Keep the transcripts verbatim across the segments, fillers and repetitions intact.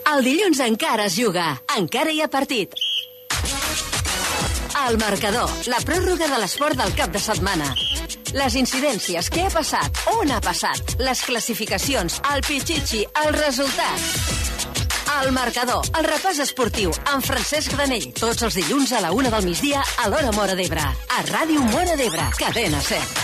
El dilluns encara es juga, encara hi ha partit. El marcador, la pròrroga de l'esport del cap de setmana. Les incidències, què ha passat, on ha passat, les classificacions, el pitxitxi, els resultats. El marcador, el repàs esportiu, amb Francesc Granell, tots els dilluns a la una del migdia a l'Hora Móra d'Ebre. A Ràdio Móra d'Ebre, cadena set.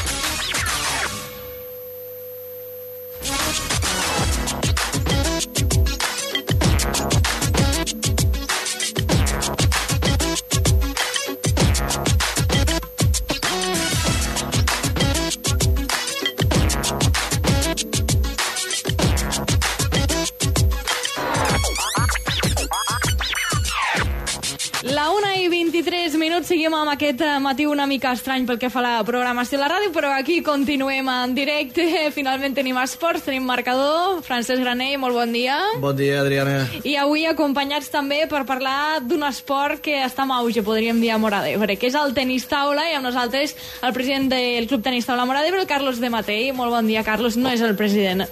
Seguim amb aquest matí una mica estrany pel que fa a la programació de la ràdio, però aquí continuem en directe. Finalment tenim esports, tenim marcador. Francesc Granell, molt bon dia. Bon dia, Adriana. I avui acompanyats també per parlar d'un esport que està en auge, podríem dir, a Móra d'Ebre, que és el tenis taula, i amb nosaltres el president del Club Tenis Taula Móra d'Ebre, el Carlos de Matei. Molt bon dia, Carlos. No és el president,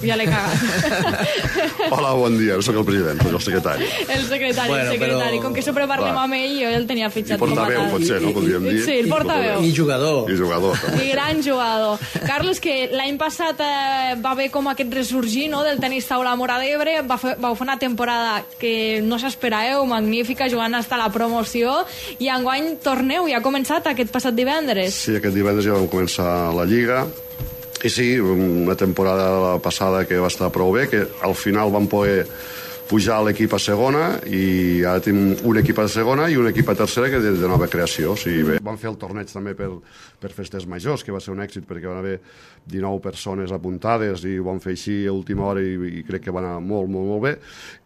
ja l'he cagat. Hola, bon dia. No soc el president, soc el secretari. El secretari, bueno, el secretari. Però... Com que sempre parlem Va. amb ell, jo el tenia fitxat com a tal. Portaveu, potser, no? Podríem dir. Sí, el portaveu. I jugador. I jugador. I gran jugador. Carlos, que l'any passat eh, va haver com aquest ressorgir, no?, del tenis taula a Móra d'Ebre. Va fer, vau fer una temporada que no s'esperàveu, magnífica, jugant fins a la promoció, i enguany torneu, i ha començat aquest passat divendres. Sí, aquest divendres ja vam començar la Lliga, i sí, una temporada passada que va estar prou bé, que al final vam poder pujar l'equip a segona, i ara tenim un equip a segona i un equip a tercera que és de nova creació. O sigui, bé. Vam fer el torneig també per, per festes majors, que va ser un èxit perquè van haver dinou persones apuntades i ho vam fer així a última hora, i, i crec que va anar molt, molt, molt bé.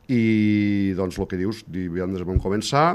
I doncs el que dius, divendres vam començar,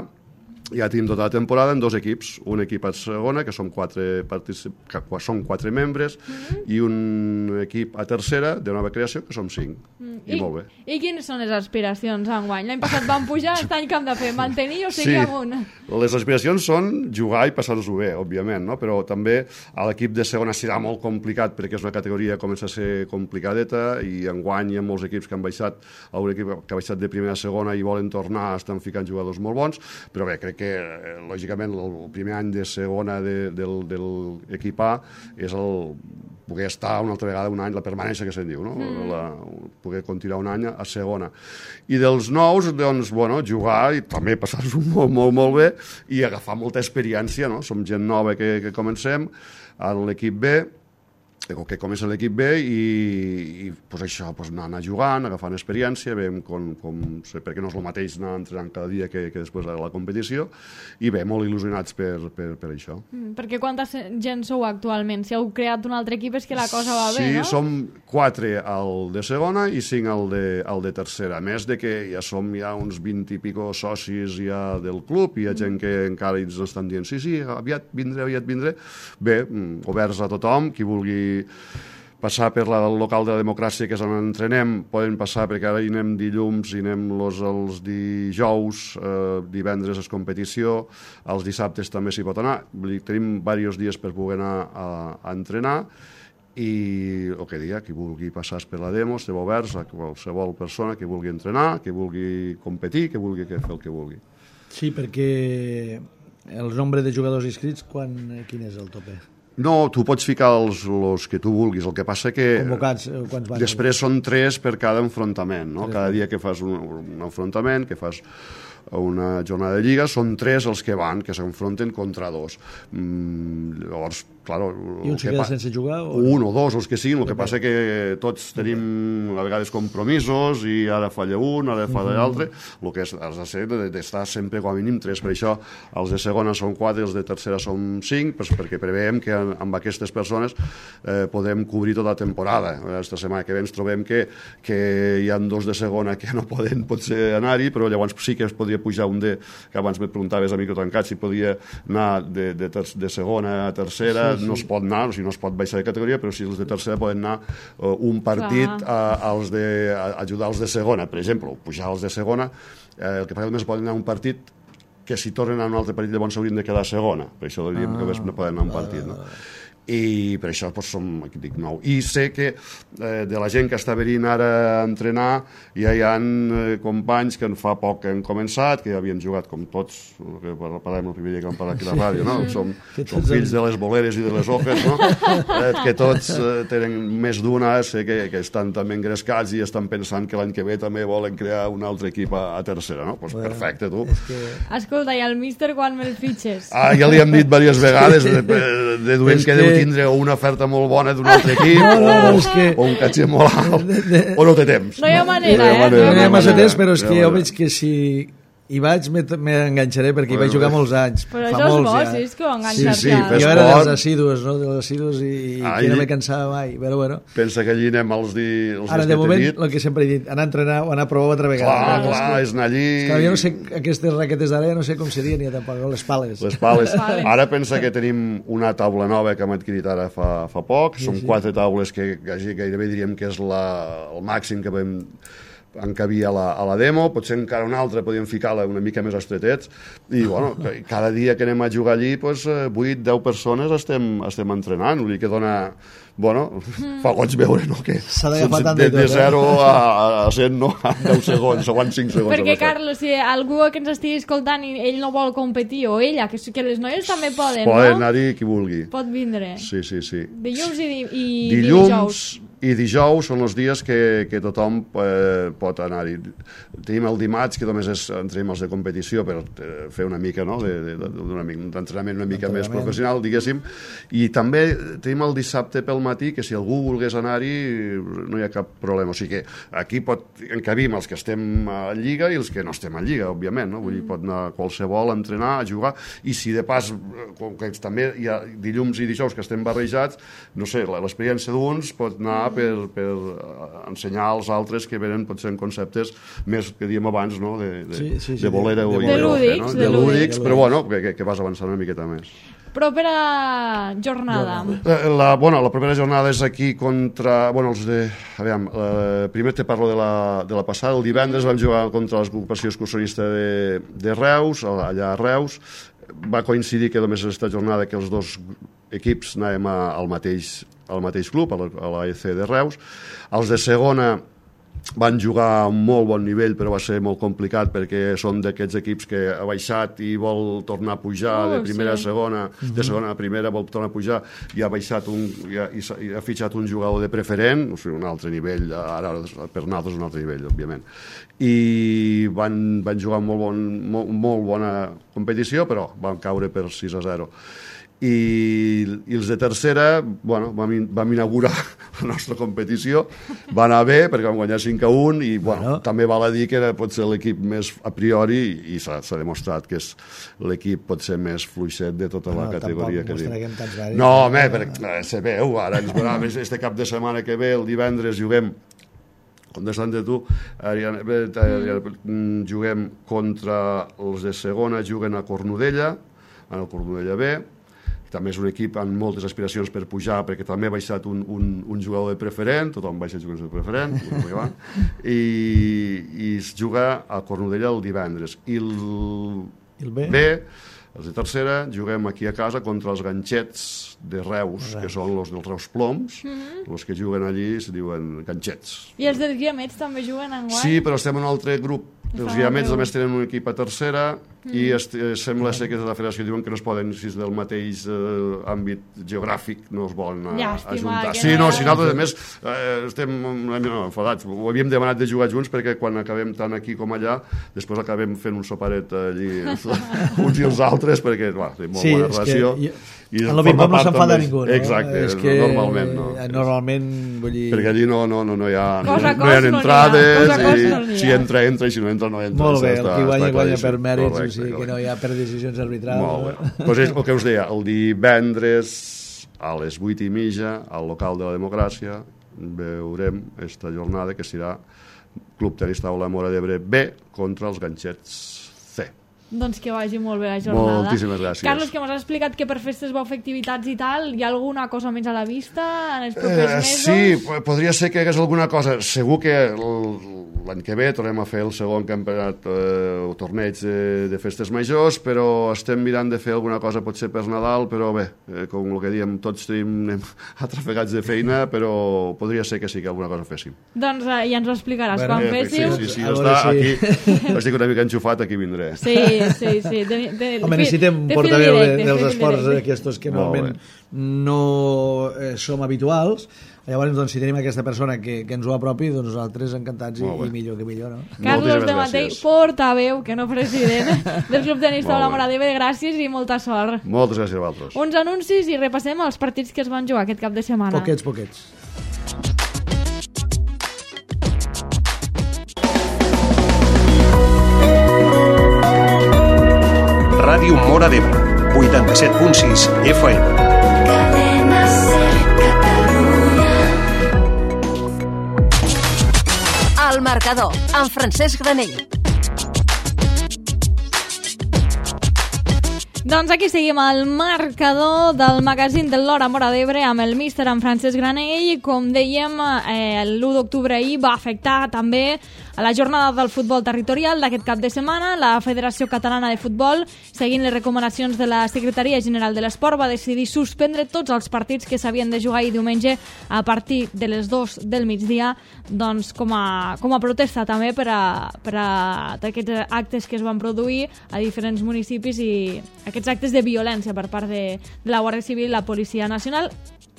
ja tenim tota la temporada en dos equips, un equip a segona, que són quatre, particip... que són quatre membres, mm-hmm. i un equip a tercera, de nova creació, que som cinc. Mm. I, I molt bé. I quines són les aspiracions enguany? L'any passat van pujar, aquest any que hem de fer? Mantenir o seguir sí. amunt? Les aspiracions són jugar i passar-nos-ho bé, òbviament, no? Però també a l'equip de segona serà molt complicat, perquè és una categoria que comença a ser complicadeta, i enguany hi ha molts equips que han baixat, a un equip que ha baixat de primera a segona i volen tornar, estan ficant jugadors molt bons, però bé, crec que, lògicament, el primer any de segona de, del, de l'equip A és el poder estar una altra vegada un any, la permanència que se'n diu, no? Mm. La, poder continuar un any a segona. I dels nous, doncs, bueno, jugar i també passar-s'ho molt, molt, molt bé, i agafar molta experiència, no? Som gent nova que, que comencem a l'equip B, que comença l'equip B, i, i pues això, pues anar, anar jugant, agafant experiència, veiem com, com, perquè no és el mateix anar entrenant cada dia que, que després de la competició, i bé, molt il·lusionats per, per, per això. Mm, perquè quanta gent sou actualment? Si heu creat un altre equip és que la cosa va bé, sí, no? Sí, som quatre al de segona i cinc al de, al de tercera, a més de que ja som ja uns vint i pico socis ja del club, i hi ha gent que encara ens estan dient sí, sí, aviat vindré, aviat vindré. Bé, oberts a tothom, qui vulgui passar per la, el local de la democràcia, que és on entrenem, poden passar, perquè ara hi anem dilluns, hi anem los, els dijous, eh, divendres és competició, els dissabtes també s'hi pot anar. Tenim diversos dies per poder anar a, a entrenar, i el que dia, qui vulgui passar per la demo, estem oberts a qualsevol persona que vulgui entrenar, que vulgui competir, que vulgui fer el que vulgui. Sí, perquè el nombre de jugadors inscrits, quan, quin és el tope? No, tu pots ficar els, els que tu vulguis, el que passa que convocats, quants van? Després són tres per cada enfrontament, no? Cada dia que fas un, un enfrontament, que fas una jornada de lliga, són tres els que van, que s'enfronten contra dos. Mm, llavors, claro... I un se queda sense jugar? O un o dos, els que siguin, el que passa que tots tenim a vegades compromisos, i ara falla un, ara falla l'altre, el que has de ser d'estar sempre com a mínim tres. Per això els de segona són quatre, els de tercera són cinc, perquè preveiem que amb aquestes persones eh, podem cobrir tota la temporada. Aquesta setmana que ve ens trobem que, que hi ha dos de segona que no poden potser anar-hi, però llavors sí que es podria pujar un de, que abans me preguntaves a micro tancat si podia anar de, de, ter, de segona a tercera, sí, sí. No es pot anar, o sigui, no es pot baixar de categoria, però si els de tercera poden anar uh, un partit a, als de, a ajudar els de segona, per exemple, pujar els de segona, eh, el que passa només poden anar un partit que si tornen a un altre partit llavors s'haurien de quedar a segona, per això diríem ah, que no poden anar a un partit, no? i per això doncs, som, aquí dic, nou. I sé que eh, de la gent que està venint ara a entrenar ja hi ha eh, companys que en fa poc han començat, que ja havien jugat com tots, que parlem el primer dia que vam parlar aquí a la ràdio, no? Som, som fills de les boleres i de les hojes, no? Eh, que tots eh, tenen més d'una, sé que, que estan també engrescats i estan pensant que l'any que ve també volen crear un altre equip a, a tercera, no? Doncs pues bueno, perfecte, tu. Que... Escolta, i el míster quan me'l fitxes? Ah, ja li hem dit diverses vegades, deduint que, que deu tindre una oferta molt bona d'un altre equip, no, no, no, o, que... o un catxer molt alt, de, de... o no té temps. No hi ha manera, no, eh? No hi ha massa temps, però és que jo veig que si hi vaig m'enganxaré perquè hi vaig jugar molts anys. Però això és bo, sí, és que ho enganxar-se. Sí, sí, jo era dels assidus, no? Dels assidus i, i que no me cansava mai, però bueno. Pensa que allí anem els, di, els Ara, de moment, el que sempre he dit, anar a entrenar o anar a provar altra vegada. Clar, clar, clar, és anar allí... És que jo no sé, aquestes raquetes d'ara no sé com serien ja tampoc, les pales. Les pales. Ara pensa que tenim una taula nova que hem adquirit ara fa, fa poc, sí, són sí. quatre taules que gairebé diríem que és la, el màxim que vam encabia a la, a la demo, potser encara una altra podíem ficar-la una mica més estretets i bueno, cada dia que anem a jugar allí doncs, vuit deu persones estem, estem entrenant, vull dir que dona bueno, fa goig veure no? que de, de zero eh? a, a cent no? a deu segons o a cinc segons perquè Carlos, si algú que ens estigui escoltant i ell no vol competir o ella, que, que les noies també poden, poden no? anar-hi qui vulgui, pot vindre sí, sí, sí. dilluns i, i dilluns dijous i dijous són els dies que, que tothom eh, pot anar-hi. Tenim el dimarts, que només és, entrem els de competició per eh, fer una mica, no?, d'entrenament una mica més professional, diguéssim, i també tenim el dissabte pel matí, que si algú volgués anar-hi no hi ha cap problema. O sigui que aquí pot encabim els que estem a Lliga i els que no estem a Lliga, òbviament, no? Vull dir, pot anar qualsevol a entrenar, a jugar, i si de pas, com que també hi ha dilluns i dijous que estem barrejats, no sé, l'experiència d'uns pot anar Per, per ensenyar als altres que venen potser en conceptes més que diem abans, no? de, de, sí, sí, sí, de bolera de, o de, de lúdics, no? de, de lúdics, però bueno, que, que vas avançant una miqueta més. Propera jornada. La, bueno, la propera jornada és aquí contra... Bueno, els de... Aviam, eh, primer te parlo de la, de la passada. El divendres vam jugar contra l'agrupació excursionista de, de Reus, allà a Reus. Va coincidir que només aquesta jornada que els dos equips anàvem a, al, mateix, al mateix club, a la, a la E C de Reus. Els de segona van jugar a un molt bon nivell, però va ser molt complicat perquè són d'aquests equips que ha baixat i vol tornar a pujar oh, de primera sí. a segona, de segona a primera vol tornar a pujar i ha baixat un, i ha, i ha fitxat un jugador de preferent, o sigui, un altre nivell, ara per nosaltres un altre nivell, òbviament. I van, van jugar molt, bon, molt, molt bona competició, però van caure per sis a zero. I, i els de tercera, bueno, vam, vam inaugurar la nostra competició, va anar bé perquè vam guanyar cinc a un i bueno, bueno. també val a dir que era potser l'equip més a priori i s'ha demostrat que és l'equip potser més fluixet de tota no, la categoria que diu. No, home, perquè se veu, ara ens veurà, este cap de setmana que ve, el divendres juguem contestant de tu, Ariana, mm. juguem contra els de segona, juguen a Cornudella, en el Cornudella B, també és un equip amb moltes aspiracions per pujar, perquè també ha baixat un, un, un jugador de preferent, tothom baixa jugadors de preferent, i, i es juga a Cornudella el divendres. I el, el B, B, els de tercera, juguem aquí a casa contra els ganxets de Reus, Reus. que són els dels Reus Ploms, mm-hmm. els que juguen allí se diuen ganxets. I els dels Guiamets també juguen enguany? Sí, però estem en un altre grup. Els Guiamets només tenen un equip a tercera mm. i est, sembla ser que de la federació diuen que no es poden, si és del mateix eh, àmbit geogràfic, no es volen a, Llàstima, ajuntar. Sí, no, si nosaltres, a més, eh, estem no, enfadats. Ho havíem demanat de jugar junts perquè quan acabem tant aquí com allà, després acabem fent un soparet allí, uns i els altres, perquè, clar, té molt sí, bona relació. Que... I en el ping-pong no s'enfada ningú, no? Exacte, és que normalment no. Normalment, vull dir... Perquè allí no, no, no, no hi ha, cosa no hi ha entrades, no hi ha. i si entra, entra, i si no entra, no entra. Molt bé, el que guanya, guanya per mèrits, correcte, o sigui que no hi ha per decisions arbitrals. Molt bé. Pues és el que us deia, el divendres a les vuit i mitja, al local de la Democràcia, veurem esta jornada que serà Club Tenis Taula Móra d'Ebre B contra els ganxets C. Doncs que vagi molt bé la jornada. Moltíssimes gràcies. Carlos, que m'has explicat que per festes vau fer activitats i tal, hi ha alguna cosa més a la vista en els propers eh, mesos? Sí, podria ser que hi hagués alguna cosa. Segur que l'any que ve tornem a fer el segon campionat eh, o torneig de, de festes majors, però estem mirant de fer alguna cosa potser per Nadal, però bé, eh, com el que diem, tots tenim atrafegats de feina, però podria ser que sí que alguna cosa féssim. Doncs eh, ja ens ho explicaràs bueno, quan eh, féssiu. Sí, sí, sí, A està veure aquí. Estic una mica enxufat, aquí vindré. Sí, sí, sí. De, de, Home, de, necessitem de portaveu de, directe, dels fil esports directe. aquests que Molt normalment no eh, som habituals. Llavors, doncs, si tenim aquesta persona que, que ens ho apropi, doncs nosaltres encantats i, i millor que millor, no? Carlos Moltíssimes de Matei, gràcies. portaveu, que no president, del Club Tenis Molt Taula bé. Móra d'Ebre. Gràcies i molta sort. Moltes gràcies a vosaltres. Uns anuncis i repassem els partits que es van jugar aquest cap de setmana. Poquets, poquets. Ràdio Móra d'Ebre, vuitanta-set punt sis F M. Cadena Ser Catalunya. El marcador, amb Francesc Granell. Doncs aquí seguim al marcador del magazín de l'Hora Móra d'Ebre amb el míster en Francesc Granell. Com dèiem, eh, l'u d'octubre ahir va afectar també a la jornada del futbol territorial d'aquest cap de setmana. La Federació Catalana de Futbol, seguint les recomanacions de la Secretaria General de l'Esport, va decidir suspendre tots els partits que s'havien de jugar ahir diumenge a partir de les dues del migdia, doncs com a, com a protesta també per a, per a aquests actes que es van produir a diferents municipis i aquests actes de violència per part de, de la Guàrdia Civil i la Policia Nacional.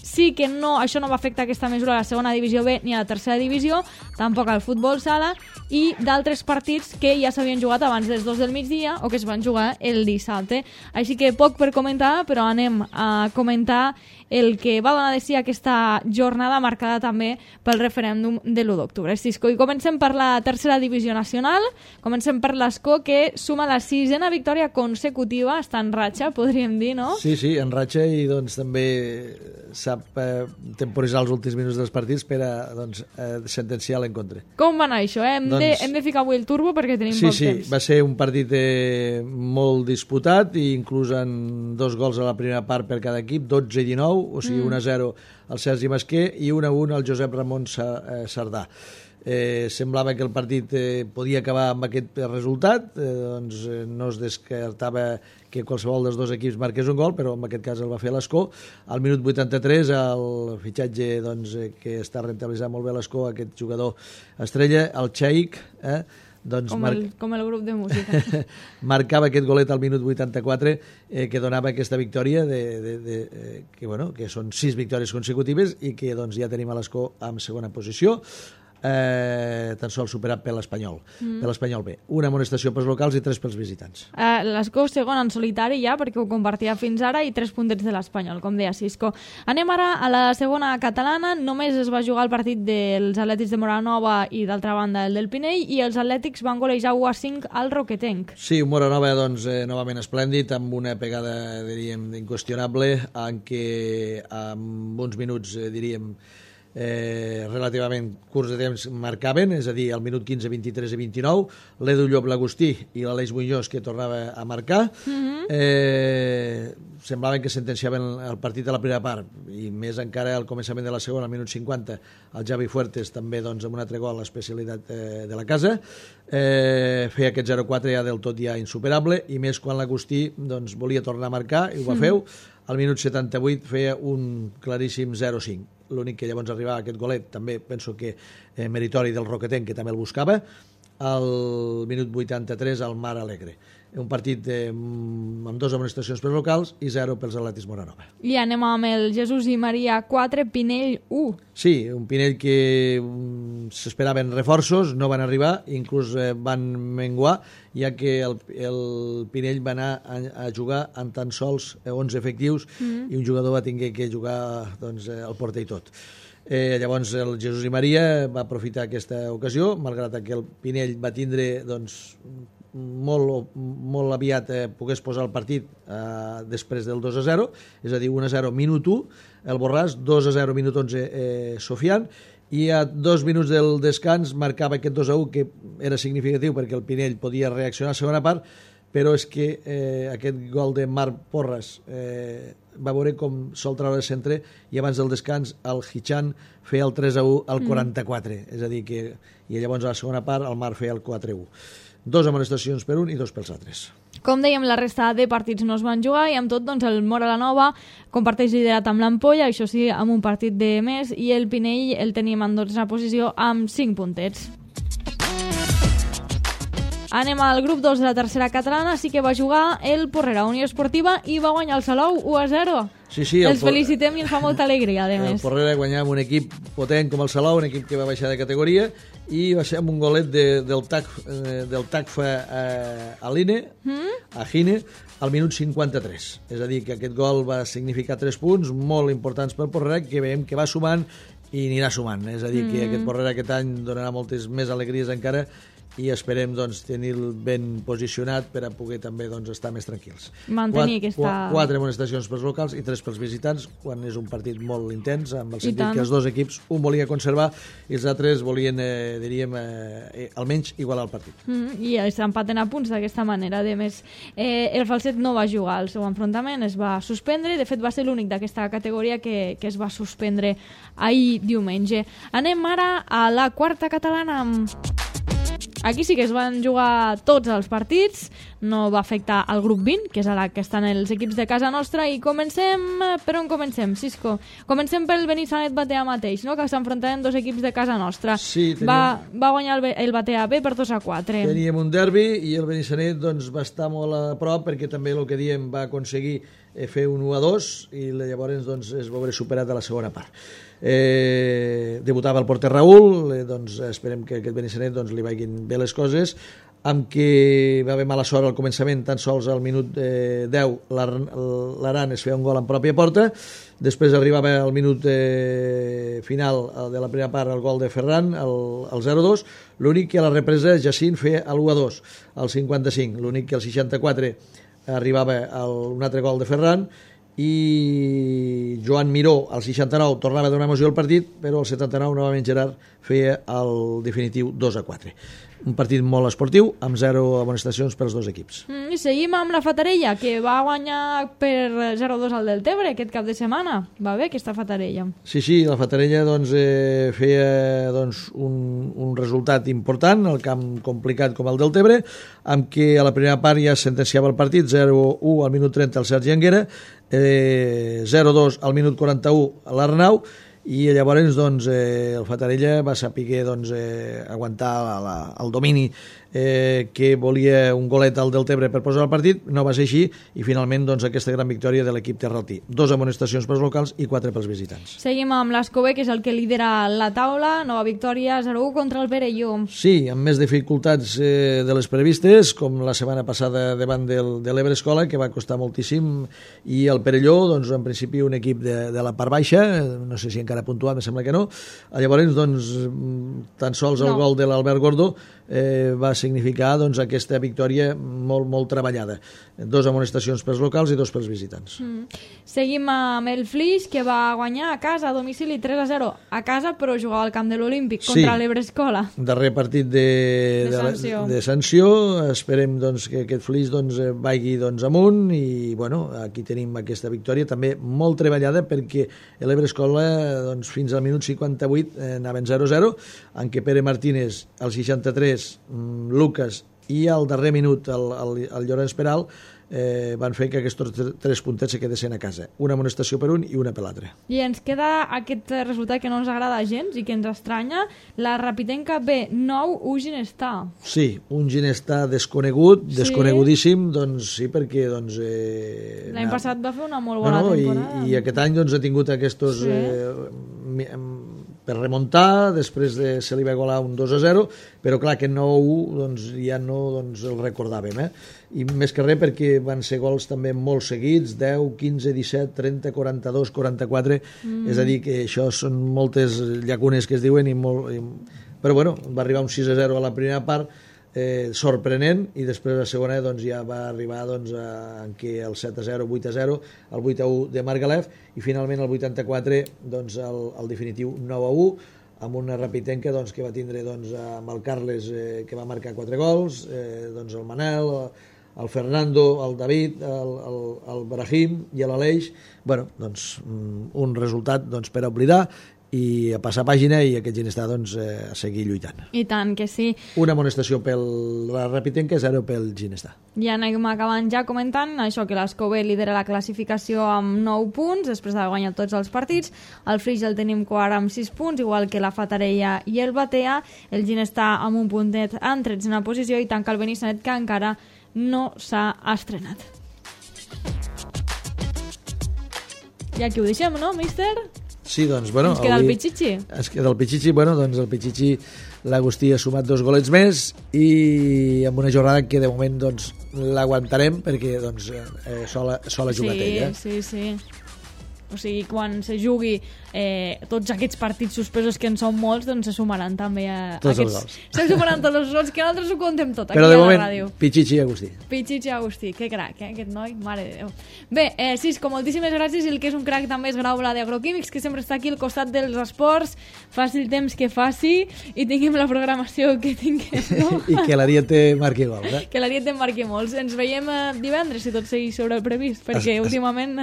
Sí que no, això no va afectar aquesta mesura a la segona divisió B ni a la tercera divisió, tampoc al futbol sala i d'altres partits que ja s'havien jugat abans dels dos del migdia o que es van jugar el dissabte. Així que poc per comentar, però anem a comentar el que va donar de si aquesta jornada marcada també pel referèndum de l'u d'octubre. Cisco, i comencem per la tercera divisió nacional, comencem per l'Escó, que suma la sisena victòria consecutiva, està en ratxa, podríem dir, no? Sí, sí, en ratxa i doncs també sap eh, temporitzar els últims minuts dels partits per a doncs, eh, sentenciar l'encontre. Com va anar això? Eh? Hem, doncs... de, hem de ficar avui el turbo perquè tenim sí, poc sí, temps. Sí, va ser un partit eh, molt disputat i inclús en dos gols a la primera part per cada equip, dotze i dinou, o sigui, mm. un a zero al Sergi Masquer i un a un al Josep Ramon Sardà. Eh, semblava que el partit eh, podia acabar amb aquest resultat, eh, doncs eh, no es descartava que qualsevol dels dos equips marqués un gol, però en aquest cas el va fer l'Escó. Al minut vuitanta-tres, el fitxatge doncs, eh, que està rentabilitzant molt bé l'Escó, aquest jugador estrella, el Cheikh, eh, doncs com, mar... el, com el grup de música. marcava aquest golet al minut vuitanta-quatre eh, que donava aquesta victòria de, de, de, eh, que, bueno, que són sis victòries consecutives i que doncs, ja tenim a l'Escó en segona posició, eh, tan sols superat per l'Espanyol mm. per l'Espanyol B. Una amonestació pels locals i tres pels visitants. Uh, L'Escó segon en solitari ja, perquè ho compartia fins ara, i tres puntets de l'Espanyol, com deia Cisco. Anem ara a la segona catalana. Només es va jugar el partit dels Atlètics de Moranova i d'altra banda el del Pinell, i els Atlètics van golejar u a cinc al Roquetenc. Sí, un Moranova doncs, eh, novament esplèndid, amb una pegada, diríem, inqüestionable, en què amb uns minuts, eh, diríem, Eh, relativament curts de temps marcaven, és a dir, al minut quinze, vint-i-tres i vint-i-nou, l'Edu Llop L'Agustí i l'Aleix Muñoz, que tornava a marcar. Mm-hmm. eh, semblaven que sentenciaven el partit a la primera part, i més encara al començament de la segona, al minut cinquanta, el Javi Fuertes també doncs, amb un altre gol, l'especialitat eh, de la casa, eh, feia aquest zero quatre ja del tot ja insuperable, i més quan l'Agustí doncs, volia tornar a marcar, i ho va mm. feu. Al minut setanta-vuit feia un claríssim zero cinc. L'únic que llavors arribava aquest golet, també penso que eh, meritori del Roquetenc, que també el buscava, al minut vuitanta-tres al Mar Alegre. Un partit eh, amb dues amonestacions pels locals i zero pels Atlètics Moranova. I anem amb el Jesús i Maria quatre, Pinell u. Sí, un Pinell que um, s'esperaven reforços, no van arribar, inclús eh, van menguar, ja que el, el Pinell va anar a, a jugar en tan sols onze efectius mm. i un jugador va tenir que jugar doncs, el porter i tot. Eh, llavors el Jesús i Maria va aprofitar aquesta ocasió, malgrat que el Pinell va tindre doncs, molt, molt aviat eh, pogués posar el partit eh, després del dos a zero, és a dir, un a zero minut u el Borràs, dos a zero minut onze eh, Sofian, i a dos minuts del descans marcava aquest dos a u, que era significatiu perquè el Pinell podia reaccionar a segona part, però és que eh, aquest gol de Marc Porras eh, va veure com sol treure el centre i abans del descans el Hichan feia el tres a u al quaranta-quatre, mm. és a dir que i llavors a la segona part el Marc feia el quatre a u. Dos amonestacions per un i dos pels altres. Com dèiem, la resta de partits no es van jugar i amb tot doncs, el Móra la Nova comparteix liderat amb l'Ampolla, això sí, amb un partit de més, i el Pinell el tenim en dotzena posició amb cinc puntets. Anem al grup dos de la tercera catalana, sí que va jugar el Porrera Unió Esportiva i va guanyar el Salou u a zero. Sí, sí, el Els felicitem i ens fa molta alegria, a més. El Porrera guanyava amb un equip potent com el Salou, un equip que va baixar de categoria, i va ser amb un golet de, del, tac, eh, del Tacfa eh, a l'Ine, mm? a Gine, al minut cinquanta-tres. És a dir, que aquest gol va significar tres punts molt importants pel Porrera, que veiem que va sumant i anirà sumant. És a dir, mm. que aquest Porrera aquest any donarà moltes més alegries encara i esperem doncs, tenir-lo ben posicionat per a poder també doncs, estar més tranquils. Mantenir Quat, aquesta... Quatre amonestacions pels locals i tres pels visitants, quan és un partit molt intens, amb el sentit tant. que els dos equips, un volia conservar i els altres volien, eh, diríem, eh, almenys igualar el partit. Mm -hmm. I s'empaten a punts d'aquesta manera. A més, eh, el Falset no va jugar al seu enfrontament, es va suspendre, de fet va ser l'únic d'aquesta categoria que, que es va suspendre ahir diumenge. Anem ara a la quarta catalana. Aquí sí que es van jugar tots els partits, no va afectar el grup vint, que és a la que estan els equips de casa nostra, i comencem... Per on comencem, Cisco? Comencem pel Benissanet Batea mateix, no? Que s'enfrontaven dos equips de casa nostra. Sí, teníem... va, va guanyar el, el Batea B per dos a quatre. Teníem un derbi i el Benissanet doncs, va estar molt a prop perquè també el que diem va aconseguir fer un u a dos i llavors doncs, es va veure superat a la segona part. Eh, debutava el porter Raül, eh, doncs esperem que aquest Benissanet doncs, li vagin bé les coses, amb què va haver mala sort al començament, tan sols al minut eh, deu l'Aran es feia un gol en pròpia porta, després arribava al minut eh, final de la primera part el gol de Ferran, el, el zero a dos, l'únic que a la represa Jacint feia l'u a dos al cinquanta-cinc, l'únic que al seixanta-quatre arribava el, un altre gol de Ferran i Joan Miró al seixanta-nou tornava a donar emoció al partit, però al setanta-nou novament Gerard feia el definitiu dos a quatre. Un partit molt esportiu, amb zero amonestacions pels dos equips. Mm, I seguim amb la Fatarella, que va guanyar per zero a dos al Deltebre aquest cap de setmana. Va bé aquesta Fatarella. Sí, sí, la Fatarella doncs, eh, feia doncs, un, un resultat important, el camp complicat com el Deltebre, amb què a la primera part ja sentenciava el partit, zero a u al minut trenta el Sergi Anguera, eh, zero a dos al minut quaranta-u a l'Arnau, i llavors doncs, eh, el Fatarella va saber doncs, eh, aguantar la, la, el domini eh, que volia un golet al Deltebre per posar el partit, no va ser així i finalment doncs, aquesta gran victòria de l'equip terraltí. Dos amonestacions pels locals i quatre pels visitants. Seguim amb l'Escobé, que és el que lidera la taula, nova victòria zero a u contra el Perelló. Sí, amb més dificultats eh, de les previstes, com la setmana passada davant del, de l'Ebre Escola, que va costar moltíssim, i el Perelló, doncs, en principi un equip de, de la part baixa, no sé si encara puntuat, me sembla que no. Llavors, doncs, tan sols el no. gol de l'Albert Gordo eh, va significar doncs, aquesta victòria molt, molt treballada. Dos amonestacions pels locals i dos pels visitants. Mm. Seguim amb el Flix, que va guanyar a casa, a domicili, tres a zero. A casa, però jugava al camp de l'Olímpic contra sí. l'Ebre Escola. Darrer partit de, de, sanció. de, de sanció. Esperem doncs, que aquest Flix doncs, vagi doncs, amunt i bueno, aquí tenim aquesta victòria també molt treballada perquè l'Ebre Escola doncs, fins al minut cinquanta-vuit eh, anaven zero a zero, en què Pere Martínez al seixanta-tres, Lucas i al darrer minut el, el, el Llorenç Peral eh, van fer que aquests tres puntets se quedessin a casa. Una amonestació per un i una per l'altre. I ens queda aquest resultat que no ens agrada gens i que ens estranya, la Rapitenca B, nou u Ginestar. Sí, un Ginestar desconegut, sí. desconegudíssim, doncs sí, perquè doncs... Eh, l'any passat va fer una molt bona no, no, temporada. I, i aquest any doncs ha tingut aquests... Sí. Eh, per remuntar, després de, se li va igualar un dos a zero, però clar, aquest nou a u doncs, ja no doncs, el recordàvem, eh? I més que res perquè van ser gols també molt seguits, deu, quinze, disset, trenta, quaranta-dos, quaranta-quatre, mm. és a dir, que això són moltes llacunes que es diuen, i molt, i... però bueno, va arribar un sis a zero a la primera part, eh, sorprenent, i després la segona doncs, ja va arribar doncs, a, en què el set a zero, vuit a zero, el vuit a u de Margalef, i finalment el vuitanta-quatre doncs, el, el definitiu nou a u, amb una Rapitenca doncs, que va tindre doncs, amb el Carles, eh, que va marcar quatre gols, eh, doncs, el Manel, el Fernando, el David, el, el, el Brahim i l'Aleix, bueno, doncs, un resultat doncs, per oblidar i a passar pàgina i aquest Ginestar doncs, eh, a seguir lluitant. I tant que sí. Una amonestació pel la Repitenca, zero pel Ginestar. I anem acabant ja comentant això, que l'Escober lidera la classificació amb nou punts, després d'haver guanyat tots els partits. El Flix el tenim quart amb sis punts, igual que la Fatarella i el Batea. El Ginestar amb un puntet en tretzena posició i tanca el Benissanet, que encara no s'ha estrenat. I aquí ho deixem, no, míster? Sí, doncs, bueno... Ens queda avui, el Pichichi. Ens queda el Pichichi, bueno, doncs el Pichichi, l'Agustí ha sumat dos golets més i amb una jornada que de moment doncs l'aguantarem perquè doncs eh, sola, sola jugat sí, ella. Sí, sí, o sigui, quan se jugui eh, tots aquests partits suspesos, que en són molts, doncs se sumaran també a tots aquests... els gols. Se sumaran tots els gols, que nosaltres ho contem tot aquí Però de a la moment, ràdio. Pichichi i Agustí. Pichichi i Agustí, que crac, eh, aquest noi, mare de Déu. Bé, eh, Cisco, moltíssimes gràcies, i el que és un crac també és Graula d'Agroquímics, que sempre està aquí al costat dels esports, faci el temps que faci, i tinguem la programació que tinguem, no? I que l'Ariete marqui gols, eh? Que l'Ariete en marqui molts. Ens veiem eh, divendres, si tot segueix sobre el previst, perquè es, es... últimament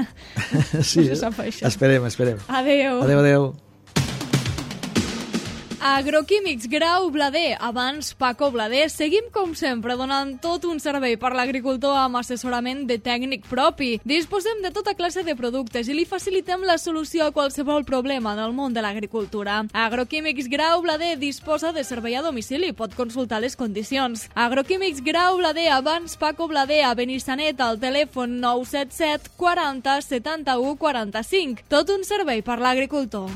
sí, no se sap això. Esperem, esperem. Adéu. Adéu, adéu. Agroquímics Grau Blader, abans Paco Blader. Seguim, com sempre, donant tot un servei per l'agricultor amb assessorament de tècnic propi. Disposem de tota classe de productes i li facilitem la solució a qualsevol problema en el món de l'agricultura. Agroquímics Grau Blader disposa de servei a domicili. Pot consultar les condicions. Agroquímics Grau Blader, abans Paco Blader, a Benissanet, al telèfon nou set set quaranta setanta-u quaranta-cinc. Tot un servei per l'agricultor.